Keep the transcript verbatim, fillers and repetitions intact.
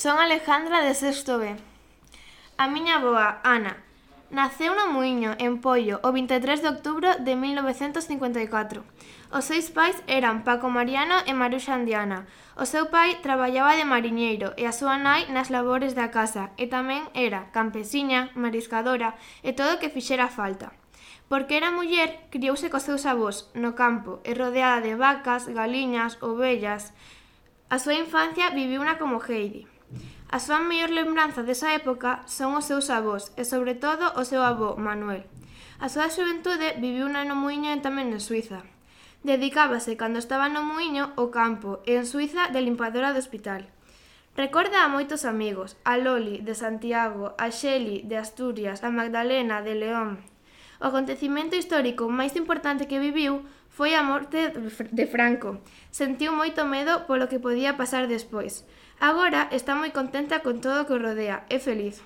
Son Alejandra de sexto B. A miña avoa, Ana, naceu no Muíño, en Poio, o vinte e tres de outubro de mil novecentos cincuenta e catro. Os seus pais eran Paco Mariano e Maruxa Andiana. O seu pai traballaba de mariñeiro e a súa nai nas labores da casa e tamén era campesiña, mariscadora e todo o que fixera falta. Porque era muller, criouse cos seus avós no campo e rodeada de vacas, galiñas, ovellas. A súa infancia viviuna como Heidi. A súa mellor lembranza desa época son os seus avós e, sobre todo, o seu avó, Manuel. A súa xuventude viviuna no Muíño e tamén en Suiza. Dedicábase, cando estaba no Muíño, ao campo e en Suiza de limpadora do hospital. Recorda a moitos amigos, a Loli, de Santiago, a Xeli, de Asturias, a Magdalena, de León. O acontecimento histórico máis importante que viviu foi a morte de Franco. Sentiu moito medo polo que podía pasar despois. Agora está moi contenta con todo o que o rodea, é feliz.